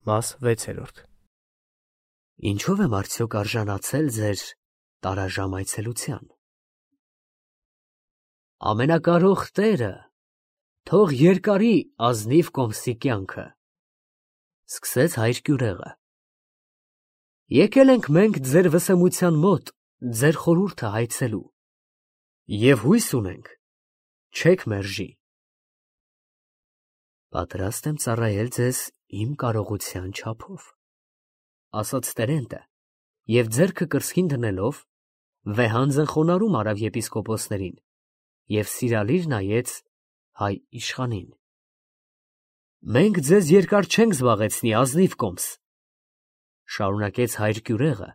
Մաս 6. Ինչով եմ արդյոք արժանացել ձեր տարաժամ այցելության։ Ամենակարող Տերը թող երկարի ազնիվ Կոմսի կյանքը, սկսեց հայր Կյուրեղը։ Եկել ենք մենք ձեր վսեմության մոտ, ձեր խորհուրդը հայցելու, և հույս ունենք, չեք մերժի։ Պատրաստ եմ ծառայել ձեզ իմ կարողության չափով, ասաց Տերենտը, և ձեռքը կրծքին դնելով, վեհանձն խոնարհում արավ եպիսկոպոսներին և սիրալիր նայեց հայ իշխանին։ Մենք ձեզ երկար չենք զբաղեցնի, ազնիվ Կոմս, շարունակեց հայր Կյուրեղը,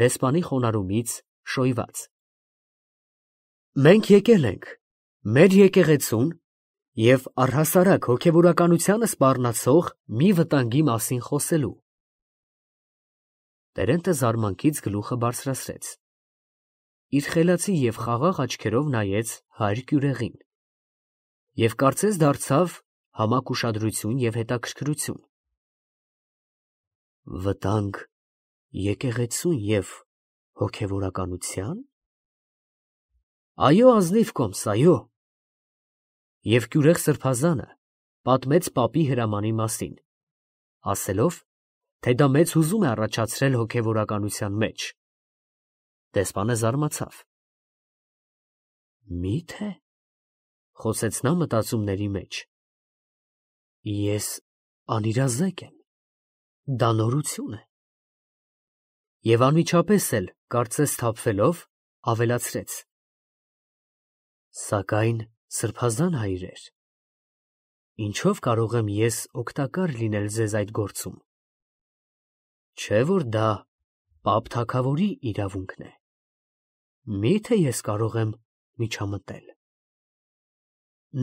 դեսպանի խոնարհումից շոյված։ Մենք եկել ենք մեր եկեղեցուն և առհասարակ հոգևորականությանը սպառնացող մի վտանգի մասին խոսելու։ Տերենտը զարմանքից գլուխը բարձրացրեց, իր խելացի և խաղաղ աչքերով նայեց հայր Կյուրեղին և կարծես դարձավ համակ ուշադրություն և հետաքրքրություն։ Վտանգ եկեղեցուն և հոգևորականությա՞ն։ Այո, ազնիվ Կոմս, այո։ Եվ Կյուրեղ սրբազանը պատմեց պապի հրամանի մասին, ասելով, թե դա մեծ հուզում է առաջացրել հոգևորականության մեջ։ Դեսպանը զարմացավ։ Մի՞թե, խոսեց նա մտածումների մեջ, ես անիրազեկ եմ, դա նորություն է։ Եվ անմիջապես էլ, կարծես սթափվելով, ավելացրեց. Սակայն սրբազան հայրեր, ինչով կարող եմ ես օգտակար լինել ձեզ այդ գործում։ Չէ՞ որ դա պապ թագավորի իրավունքն է։ Մի՞թե ես կարող եմ միջամտել։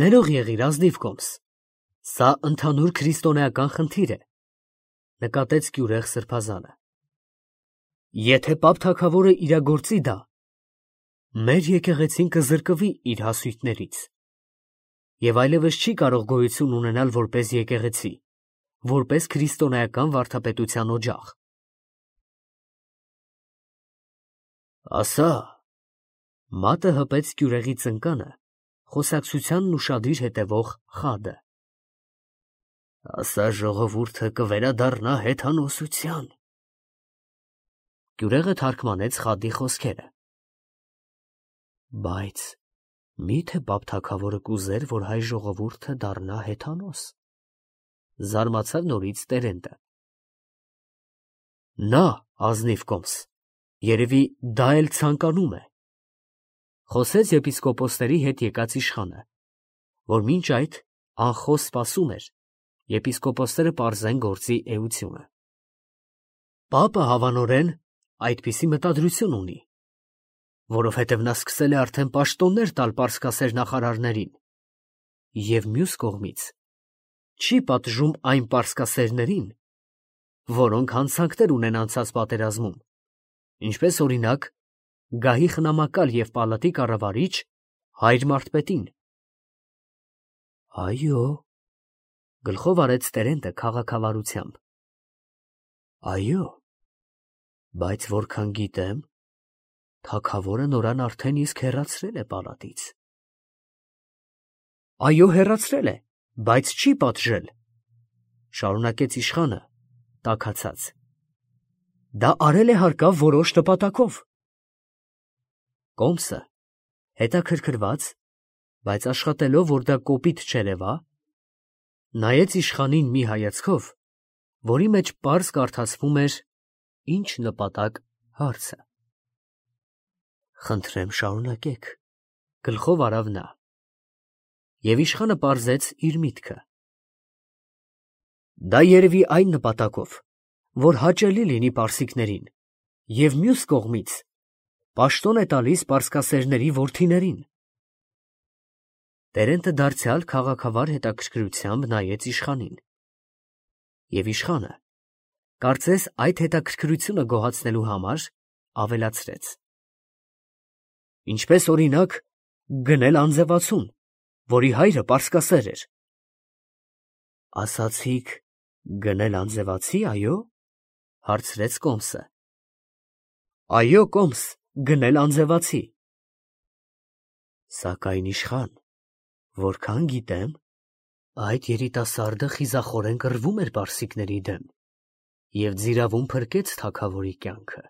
Ներող եղիր, ազնիվ Կոմս, սա ընդհանուր քրիստոնեական խնդիր է, նկատեց Կյուրեղ սրբազանը։ Եթե պապ թագավորը իրագործի դա, մեր եկեղեցին կզրկվի իր հասույթներից և այլևս չի կարող գոյություն ունենալ որպես եկեղեցի, որպես քրիստոնեական վարդապետության օջախ։ Ասա, մատը հպեց Կյուրեղի ծնկանը, խոսակցությանն ուշադիր հետևող խադը։ Ասա ժողովուրդը կվերադառնա հեթանոսության։ Կյուրեղը թարգմանեց խադի խոսքերը։ Բայց մի՞թե պապ թագավորը կուզեր, որ հայ ժողովուրդը դառնա հեթանոս, զարմացավ նորից Տերենտը։ Նա, ազնիվ Կոմս, երևի դա էլ ցանկանում է, խոսեց եպիսկոպոսների հետ եկած իշխանը, որ մինչ այդ անխոս սպասում էր, եպիսկոպոսները պարզեն գործի էությունը։ Պապը հավանորեն այդպիսի մտադրություն ունի, որովհետև նա սկսել է արդեն պաշտոններ տալ պարսկասեր նախարարներին, և մյուս կողմից չի պատժում այն պարսկասերներին, որոնք հանցանքներ ունեն անցած պատերազմում, ինչպես օրինակ գահի խնամակալ և պալատի կառավարիչ հայր մարդպետին։ Այո, գլխով արեց Տերենտը քաղաքավարությամբ։ Այո, բայց որքան գիտեմ, թագավորը նորան արդեն իսկ հեռացրել է պալատից։ Այո, հեռացրել է, բայց չի պատժել, շարունակեց իշխանը, տաքացած։ Դա արել է հարկավ որոշ նպատակով։ Կոմսը, հետաքրքրված, բայց աշխատելով, որ դա կոպիտ չերևա, նայեց իշխանին մի հայացքով, որի մեջ պարզ կարդացվում էր ինչ նպատակ հարցը։ Խնդրեմ շարունակեք, գլխով արավ նա։ Եվ իշխանը պարզեց իր միտքը։ Դա երևի այն նպատակով, որ հաճելի լինի պարսիկներին, և մյուս կողմից պաշտոն է տալիս պարսկասերների որդիներին։ Տերենտը դարձյալ քաղաքավար հետաքրքրությամբ նայեց իշխանին։ Եվ իշխանը, կարծես այդ հետաքրքրությունը գոհացնելու համար, ավելացրեց. Ինչպես օրինակ գնել անձևացուն, որի հայրը պարսկասեր էր։ Ասացիք Գնել անձևացի, այո, հարցրեց Կոմսը։ Այո, Կոմս, գնել անձևացի։ Սակայն իշխան, որքան գիտեմ, այդ երիտասարդը խիզախորեն կռվում էր պարսիկների դեմ և ձիրավում փրկեց թագավորի կյանքը։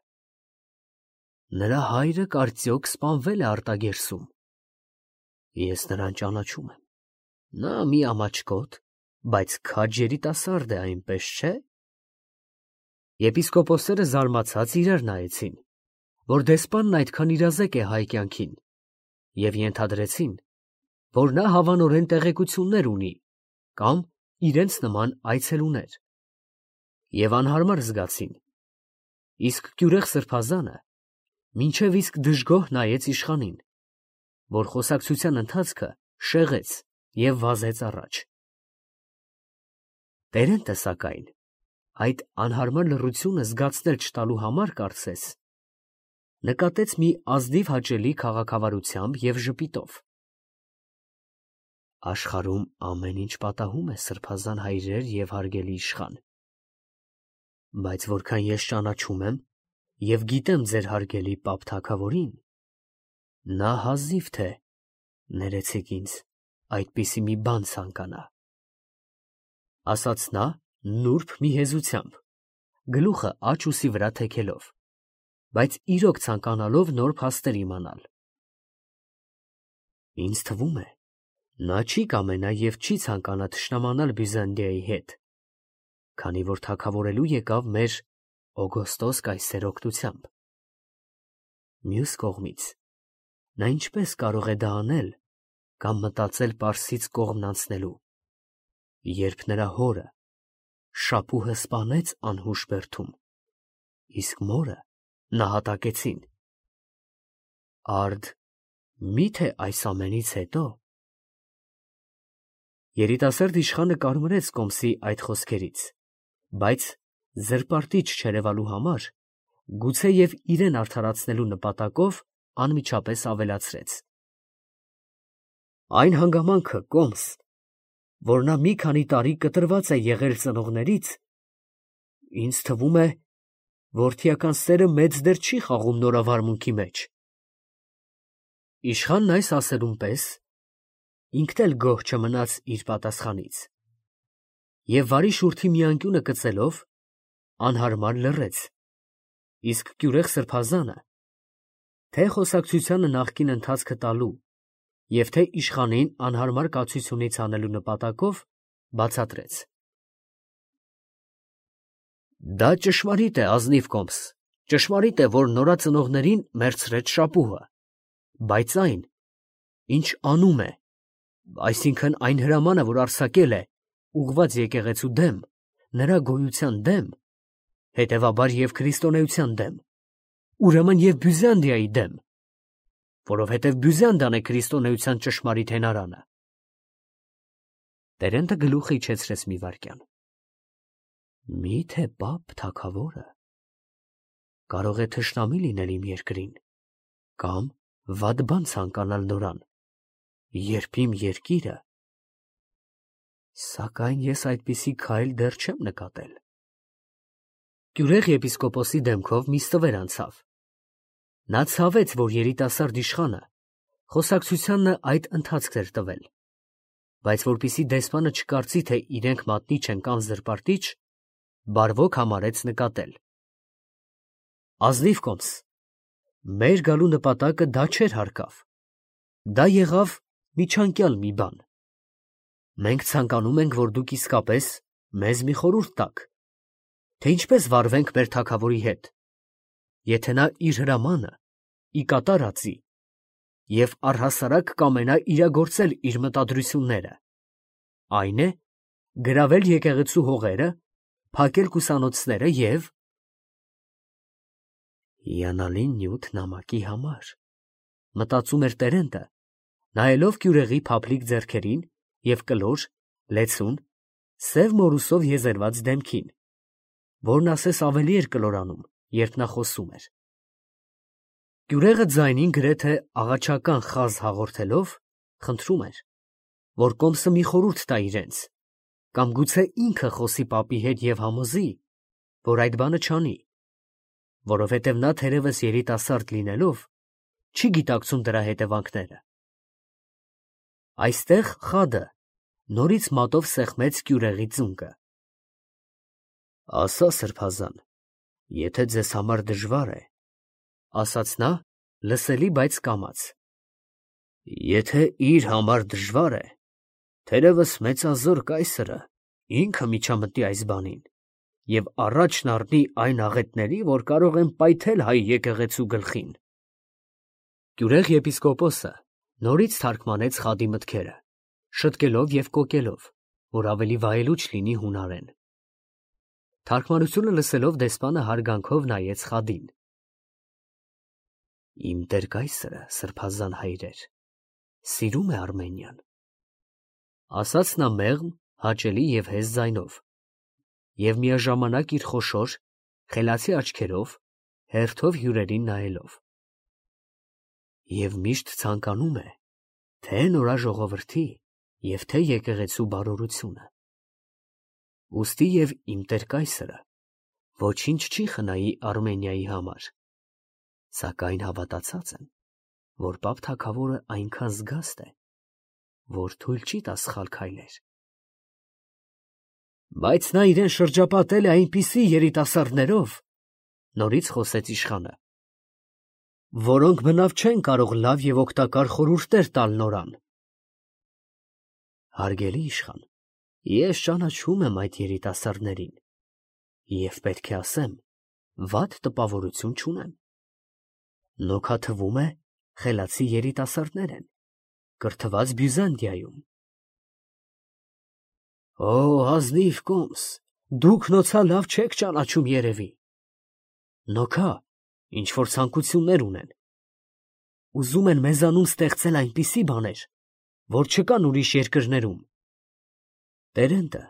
Նրա հայրը կարծիոք սպանվել է Արտագերսում։ Ես նրան ճանաչում եմ։ Նա մի ամաչկոտ, բայց քաջ երիտասարդ է, այնպես չէ՞։ Եպիսկոպոսները զարմացած իրար նայեցին, որ դեսպանն այդքան իրազեկ է հայ կյանքին, և ենթադրեցին, որ նա հավանորեն տեղեկություններ ունի կամ իրենց նման այցելուներ, և անհարմար զգացին, իսկ կյուրեղ սրբազանը մինչև իսկ դժգոհ նայեց իշխանին, որ խոսակցության ընթացքը շեղեց և վազեց առաջ։ Տերենտը, սակայն, այդ անհարմար լռությունը զգացնել չտալու համար, կարծես, նկատեց մի ազնիվ հաճելի քաղաքավարությամբ և ժպիտով. աշխարհում ամեն ինչ պատահում է, սրբազան հայրեր և հարգելի իշխան, բայց որքան ես ճանաչում եմ և գիտեմ ձեր հարգելի պապ թագավորին, նա հազիվ թե, ներեցեք ինձ, այդպիսի մի բան ցանկանա, ասաց նա նուրբ մի հեզությամբ, գլուխը աջ ուսի վրա թեքելով, բայց իրոք ցանկանալով նոր փաստեր իմանալ։ Ինձ թվում է, նա չի կամենա և չի ցանկանա թշնամանալ Բյուզանդիայի հետ, քանի որ թագավորելու եկավ մեր Օգոստոս կայսեր օգնությամբ։ Մյուս կողմից, նա ինչպես կարող է դա անել կամ մտածել Պարսից կողմն անցնելու, երբ նրա հորը շապուհը սպանեց անհուշ բերդում, իսկ մորը նահատակեցին։ Արդ մի՞թե այս ամենից հետո… Երիտասարդ իշխանը կարմրեց Կոմսի այդ խոսքերից, բայց զրպարտիչ չերևալու համար, գուցե և իրեն արդարացնելու նպատակով, անմիջապես ավելացրեց. Այն հանգամանքը, Կոմս, որ նա մի քանի տարի կտրված է եղել ծնողներից, ինձ թվում է, որդիական սերը մեծ դեր չի խաղում նորավարմունքի մեջ։ Իշխանն այս ասելուն պես ինքն էլ գոհ չմնաց իր պատասխանից և վարի շուրթի մի անկյունը կծելով, անհարմար լռեց, իսկ կյուրեղ սրբազանը, թե խոսակցությանը նախկին ընթացքը տալու և թե իշխանին անհարմար կացությունից հանելու նպատակով, բացատրեց. Դա ճշմարիտ է, ազնիվ Կոմս, ճշմարիտ է, որ նորածնողներին մեռցրեց շապուհը, բայց այն, ինչ անում է, այսինքն այն հրամանը, որ արձակել է, ուղղված եկեղեցու դեմ, նրա գոյության դեմ, հետևաբար և քրիստոնեության դեմ, ուրեմն և Բյուզանդիայի դեմ, որովհետև Բյուզանդիան է քրիստոնեության ճշմարիտ հենարանը։ Տերենտը գլուխը իջեցրեց մի վայրկյան։ Մի՞թե պապ թագավորը կարող է թշնամի լինել իմ երկրին կամ վատ բան ցանկանալ նորան, երբ իմ երկիրը… Սակայն ես այդպիսի քայլ դեռ չեմ նկատել։ Կյուրեղ եպիսկոպոսի դեմքով մի ստվեր անցավ։ Նա ցավեց, որ երիտասարդ իշխանը խոսակցությանն այդ ընթացքն էր տվել, բայց որպեսզի դեսպանը չկարծի, թե իրենք մատնիչ են կամ զրպարտիչ, բարվոք համարեց նկատել. Ազնիվ Կոմս, մեր գալու նպատակը դա չէր հարկավ, դա եղավ միջանկյալ մի բան։ Մենք ցանկանում ենք, որ դուք իսկապես մեզ մի խորհուրդ տաք, թե ինչպես վարվենք մեր թագավորի հետ, եթե նա իր հրամանը ի կատար ածի և առհասարակ կամենա իրագործել իր մտադրությունները, այն է, գրավել եկեղեցու հողերը, փակել կուսանոցները և… Հիանալի նյութ նամակի համար, մտածում էր Տերենտը, նայելով կյուրեղի փափլիկ ձեռքերին և կլոր, լեցուն, սև մորուսով եզերված դեմքին, որն ասես ավելի էր կլորանում, երբ նա խոսում էր։ Կյուրեղը ձայնին գրեթե աղաչական խազ հաղորդելով, խնդրում էր, որ Կոմսը մի խորհուրդ տա իրենց, կամ գուցե ինքը խոսի պապի հետ և համոզի, որ այդ բանը չանի, որովհետև նա թերևս երիտասարդ լինելով, չի գիտակցում դրա հետևանքները։ Այստեղ խադը նորից մատով սեղմեց կյուրեղի ծունկը։ Ասա, սրբազան, եթե ձեզ համար դժվար է, ասաց նա լսելի, բայց կամաց։ Եթե իր համար դժվար է, թերևս մեծազոր կայսրը ինքը միջամտի այս բանին և առաջն առնի այն աղետների, որ կարող են պայթել հայ եկեղեցու գլխին։ Գյուրեղ եպիսկոպոսը նորից թարգմանեց խադի մտքերը, շտկելով և կոկելով, որ ավելի վայելուչ լինի հունարեն։ Թարգմանությունը լսելով դեսպանը հարգանքով նայեց խադին։ Իմ տեր կայսրը, սրբազան հայրեր, սիրում է Արմենիան, ասաց նա մեղմ, հաճելի և հեզ ձայնով, և միաժամանակ իր խոշոր, խելացի աչքերով, հերթով հյուրերին նայելով։ Եվ միշտ ցանկանում է թե նորաժողովրդի և թե եկեղեցու բարօրությունը։ Ուստի և իմ տեր կայսրը ոչինչ չի խնայի Արմենիայի համար, սակայն հավատացած եմ, որ պապ թագավորը այնքան զգաստ է, որ թույլ չի տա սխալ քայլեր։ Բայց նա իրեն շրջապատել է այնպիսի երիտասարդներով, նորից խոսեց իշխանը, որոնք բնավ չեն կարող լավ և օգտակար խորհուրդներ տալ նորան։ Հարգելի իշխան, ես ճանաչում եմ այդ երիտասարդներին և պետք է ասեմ, վատ տպավորություն չունեմ։ Նոքա թվում է խելացի երիտասարդներ են, կրթված Բյուզանդիայում։ Օ, ազնիվ կոմս, դուք նոցա լավ չեք ճանաչում երևի։ Նոքա ինչ որ ցանկություններ ունեն։ Ուզում են մեզանում ստեղծել այնպիսի բաներ, որ չկան ուրիշ երկրներում։ Տերենտը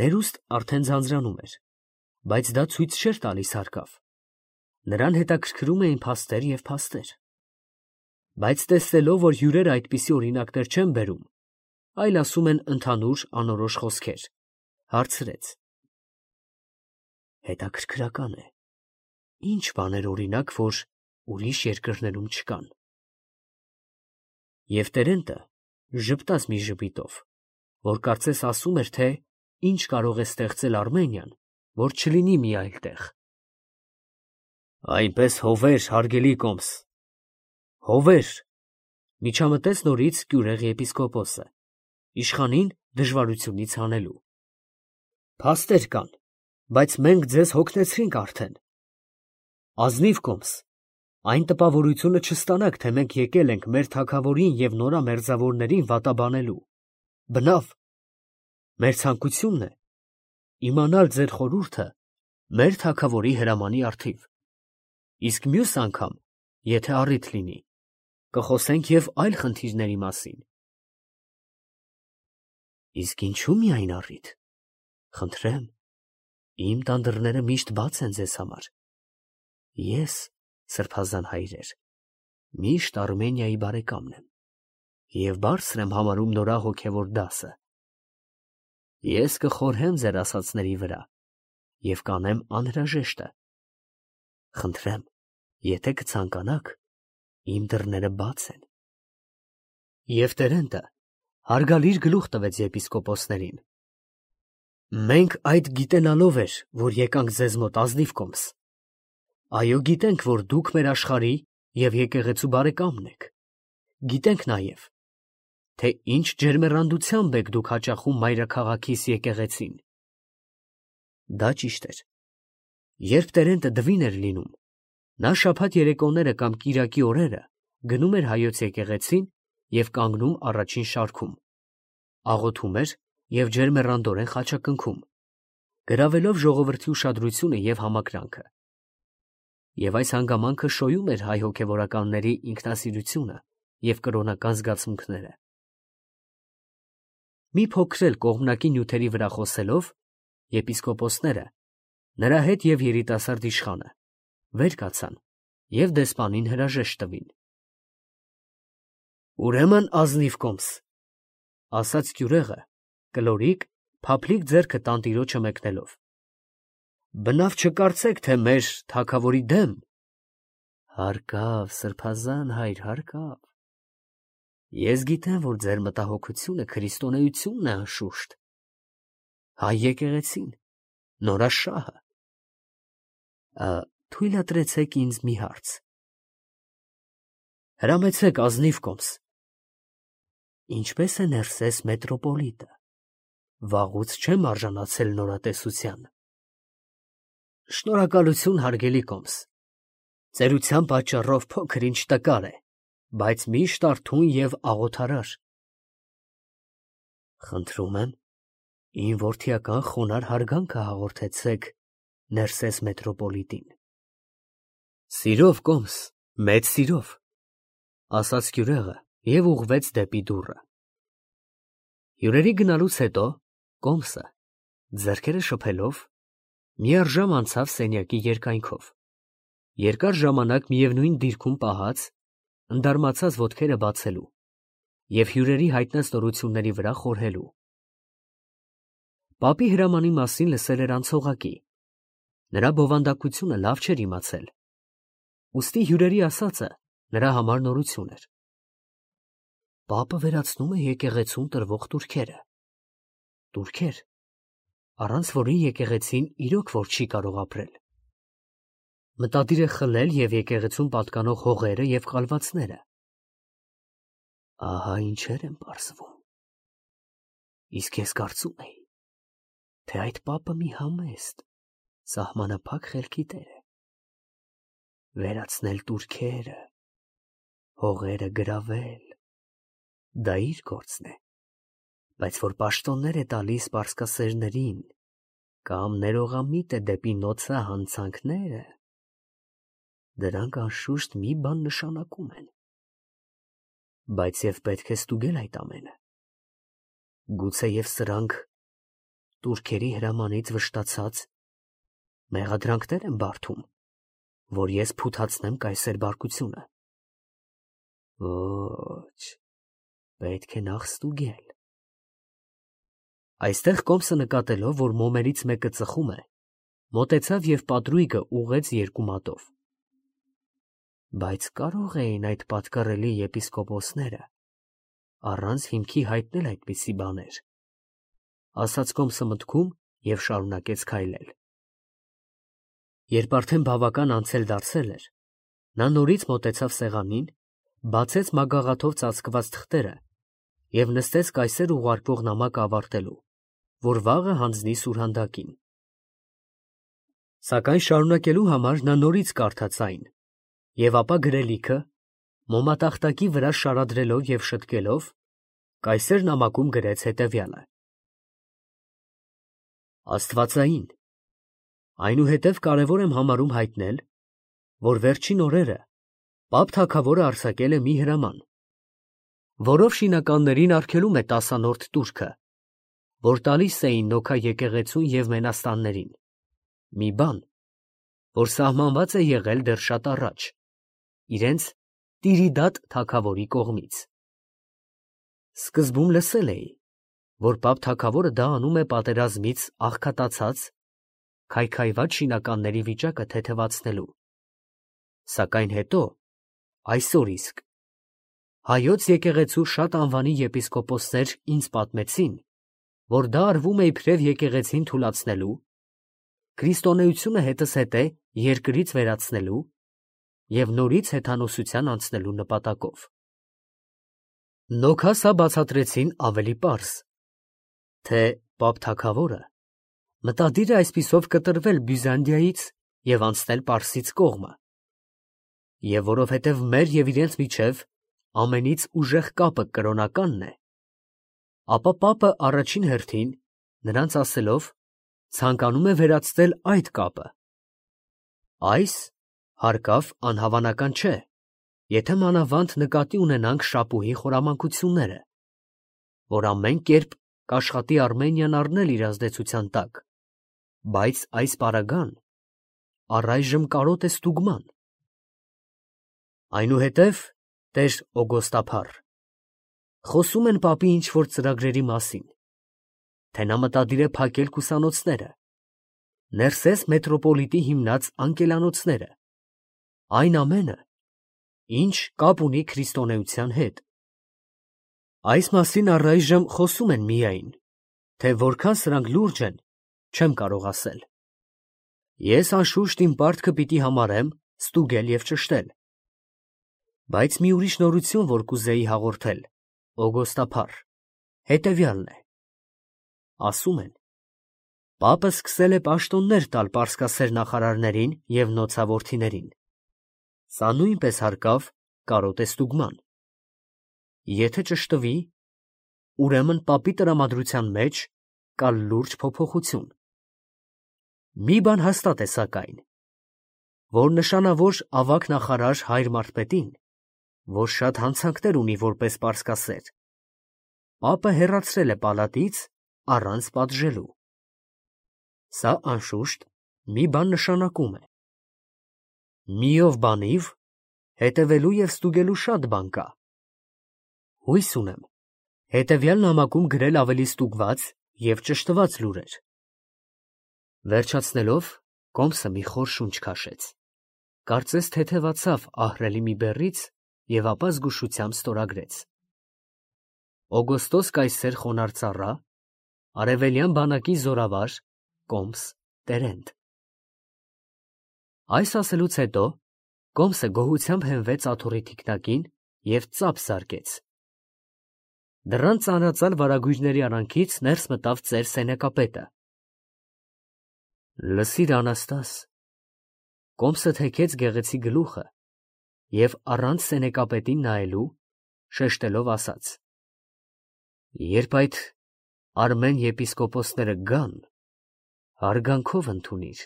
ներուստ արդեն ձանձրանում էր, բայց դա ցույց չէր տալիս հարկավ։ Նրան հետաքրքրում էին փաստեր և փաստեր։ Բայց տեսնելով, որ հյուրերը այդպիսի օրինակներ չեն բերում, այլ ասում են ընդհանուր անորոշ խոսքեր, հարցրեց. Հետաքրքրական է, ի՞նչ բաներ օրինակ, որ ուրիշ երկրներում չկան։ Եվ Տերենտը ժպտաց մի ժպիտով, որ կարծես ասում էր, թե ինչ կարող է ստեղծել Արմենիան, որ չլինի մի այլ տեղ։ Այնպես հովեր, հարգելի կոմս, հովեր, միջամտեց նորից գյուրեղ եպիսկոպոսը, իշխանին դժվարությունից հանելու։ Փաստեր կան, բայց մենք ձեզ հոգնեցրինք արդեն։ Ազնիվ կոմս, այն տպավորությունը չստանաք, թե մենք եկել ենք մեր թագավորին և նորա մերձավորներին վատաբանելու։ Բնավ, մեր ցանկությունն է իմանալ ձեր խորհուրդը մեր թագավորի հրամանի առթիվ, իսկ մյուս անգամ, եթե առիթ լինի, կխոսենք և այլ խնդիրների մասին։ Իսկ ինչու միայն առիթ, խնդրեմ, իմ տան դռները միշտ բաց են ձեզ համար։ Ես, սրբազան հայրեր, միշտ Արմենիայի բարեկամն եմ և բարձր եմ համարում նորա հոգևոր դասը։ Ես կխորհեմ ձեր ասածների վրա և կանեմ անհրաժեշտը։ Խնդրեմ, եթե կցանկանաք, իմ դռները բաց են։ Եվ Տերենտը հարգալից գլուխ տվեց եպիսկոպոսներին։ Մենք այդ գիտենալով էր, որ եկանք ձեզ մոտ, ազնիվ կոմս։ Այո, գիտենք, որ դուք մեր աշխարհի և եկեղեցու բարեկամն եք։ Գիտենք նաև, թե ինչ ջերմեռանդությամբ եք դուք հաճախում մայրաքաղաքիս եկեղեցին։ Դա ճիշտ էր։ Երբ Տերենտը դվին էր լինում, նա շաբաթ երեկոները կամ կիրակի օրերը գնում էր հայոց եկեղեցին և կանգնում առաջին շարքում, աղոթում էր և ջերմեռանդորեն խաչակնքում, գրավելով ժողովրդի ուշադրությունը և համակրանքը։ Եվ այս հանգամանքը շոյում էր հայ հոգևորականների ինքնասիրությունը և կրոնական զգացմունքները։ Մի փոքր էլ կողմնակի նյութերի վրա խոսելով, եպիսկոպոսները, նրա հետ և երիտասարդ իշխանը, վեր կացան և դեսպանին հրաժեշտ տվին։ Ուրեմն ազնիվ կոմս, ասաց գյուրեղը, կլորիկ, փափլիկ ձեռքը տանտիրոջը մեկնելով։ Բնավ չկարծեք, թե մեր թագավորի դեմ։ Հարկավ, սրբազան հայր, հարկավ։ Ես գիտեմ, որ ձեր մտահոգությունը քրիստոնեությունն է անշուշտ։ Հայ եկեղեցին, նորաշահը։ Թույլատրեցեք ինձ մի հարց։ Հրամեցեք ազնիվ կոմս։ Ինչպես է Ներսես մետրոպոլիտը։ Վաղուց չեմ արժանացել նորատեսության։ Շնորհակալություն, հարգելի կոմս։ Ծերության պատճառով փոքր ինչ տկար է, բայց միշտ արթուն և աղոթարար։ Խնդրում եմ, իմ որդիական խոնար հարգանքը հաղորդեցեք Ներսես մետրոպոլիտին։ Սիրով, կոմս, մեծ սիրով, ասաց քյուրեղը և ուղղվեց դեպի դուռը։ Հյուրերի գնալուց հետո կոմսը, ձեռքերը շփելով, միառժամ անցավ սենյակի երկայնքով։ Երկար ժամանակ միևնույն դիրքում պահած, ընդարմացած ոտքերը բացելու և հյուրերի հայտնած նորությունների վրա խորհելու։ Պապի հրամանի մասին լսել էր անցողակի։ Նրա բովանդակությունը լավ չէր իմացել։ Ուստի հյուրերի ասածը նրա համար նորություն էր։ Պապը վերացնում է եկեղեցուն տրվող տուրքերը։ Տուրքեր, առանց որին եկեղեցին իրոք որ չի կարող ապրել։ Մտադիր է խլել և եկեղեցուն պատկանող հողերը և կալվածները։ Ահա ինչեր են պարզվում։ Իսկ ես կարծում էի, թե այդ պապը մի համեստ, սահմանափակ խելքի տեր է։ Վերացնել տուրքերը, հողերը գրավել, դա իր գործն է, բայց որ պաշտոններ է տալիս պարսկասերներին կամ ներողամիտ է դեպի նոցա հանցանքները, դրանք անշուշտ մի բան նշանակում են։ Բայց և պետք է ստուգել այդ ամենը։ Գուցեև սրանք տուրքերի հրամանից վշտացած մեղադրանքներ են բարդում, որ ես փութացնեմ կայսեր բարկությունը։ Ոչ, պետք է նախ ստուգել։ Այստեղ կոմսը նկատելով, որ մոմերից մեկը ծխում է, մոտեցավ և պատրույգը ուղղեց երկու մատով։ Բայց կարող էին այդ պատկառելի եպիսկոպոսները առանց հիմքի հայտնել այդպիսի բաներ, ասաց կոմսը մտքում և շարունակեց քայլել։ Երբ արդեն բավական անցել դարձել էր, նա նորից մոտեցավ սեղանին, բացեց մագաղաթով ծածկված թղթերը և նստեց կայսեր ուղարկող նամակը ավարտելու, որ վաղը հանձնի սուրհանդակին։ Սակայն շարունակելու համար նա նորից կարդաց այն, և ապա գրելիքը, մոմատախտակի վրա շարադրելով և շտկելով, կայսեր նամակում գրեց հետևյալը. Աստվածային, այնուհետև կարևոր եմ համարում հայտնել, որ վերջին օրերը պապ թագավորը արձակել է մի հրաման, որով շինականներին արգելում է 10-րդ տուրքը, որ տալիս էին Նոքա եկեղեցուն և Մենաստաններին, մի բան, որ սահմանված է եղել դեռ շատ առաջ, իրենց Տիրիդատ թագավորի կողմից։ Սկզբում լսել էի, որ պապ թագավորը դա անում է պատերազմից աղքատացած, քայքայված շինականների վիճակը թեթևացնելու։ Սակայն հետո, այսօր իսկ, հայոց եկեղեցու շատ անվանի եպիսկոպոսներ ինձ պատմեցին, որ դա արվում է իբրև եկեղեցին թուլացնելու, քրիստոնեությունը հետզհետե երկրից վերացնելու և նորից հեթանոսության անցնելու նպատակով։ Նոքա սա բացատրեցին ավելի պարզ, թե պապ թագավորը մտադիր է այսպիսով կտրվել Բյուզանդիայից և անցնել Պարսից կողմը, և որովհետև մեր և իրենց միջև ամենից ուժեղ կապը կրոնականն է, ապա պապը առաջին հերթին, նրանց ասելով, ցանկանում է վերացնել այդ կապը։ Այս, հարկավ, անհավանական չէ, եթե մանավանդ նկատի ունենանք Շապուհի խորամանկությունները, որ ամեն կերպ կաշխատի Արմենիան առնել իր ազդեցության տակ, բայց այս պարագան առայժմ կարոտ է ստուգման։ Այնուհետև, տեր Օգոստափառ, խոսում են պապի ինչ-որ ծրագրերի մասին, թե նա մտադիր է փակել կուսանոցները, ներսես մետրոպոլիտի հիմնած անկելանոցները, այն ամենը, ինչ կապ ունի քրիստոնեության հետ։ Այս մասին առայժմ խոսում են միայն, թե որքան սրանք լուրջ են, չեմ կարող ասել։ Ես անշուշտ իմ պարտքը պիտի համարեմ ստուգել և ճշտել։ Բայց մի ուրիշ նորություն, որ կուզեի հաղորդել, օգոստափառ, հետևյալն է. ասում են, պապը սկսել է պաշտոններ տալ պարսկասեր նախարարներին և նոցավորթիներին։ Սա նույնպես հարկավ կարոտե ստուգման։ Եթե ճշտվի, ուրեմն պապի տրամադրության մեջ կա լուրջ փոփոխություն։ Մի բան հաստատ է սակայն, որ նշանավոր ավագ նախարար Հայր Մարթպետին, որ շատ հանցանքներ ունի որպես պարսկասեր, պապը հեռացրել է պալատից առանց պատժելու։ Սա անշուշտ մի բան նշանակում է։ Միով բանիվ հետևելու և ստուգելու շատ բան կա։ Հույս ունեմ հետևյալ նամակում գրել ավելի ստուգված և ճշտված լուրեր։ Վերջացնելով, Կոմսը մի խոր շունչ քաշեց, կարծես թեթևացավ ահռելի մի բեռից և ապա զգուշությամբ ստորագրեց. Օգոստոս կայսեր խոնարհ ծառա, արևելյան բանակի զորավար, Կոմս Տերենտ։ Այս ասելուց հետո Կոմսը գոհությամբ հենվեց աթոռի թիկնակին և ծափ զարկեց։ Դռան ծանրածալ վարագույրների արանքից ներս մտավ ծեր սենեկապետը։ Լսիր, Անաստաս, Կոմսը թեքեց գեղեցիկ գլուխը և առանց սենեկապետին նայելու շեշտելով ասաց. երբ այդ արմեն եպիսկոպոսները գան, հարգանքով ընդունիր,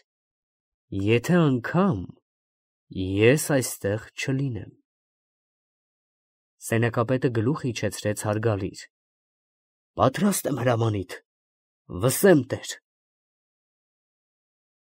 եթե անգամ ես այստեղ չլինեմ։ Սենեկապետը գլուխ իջեցրեց հարգալից. պատրաստ եմ հրամանիդ, վսեմ տեր։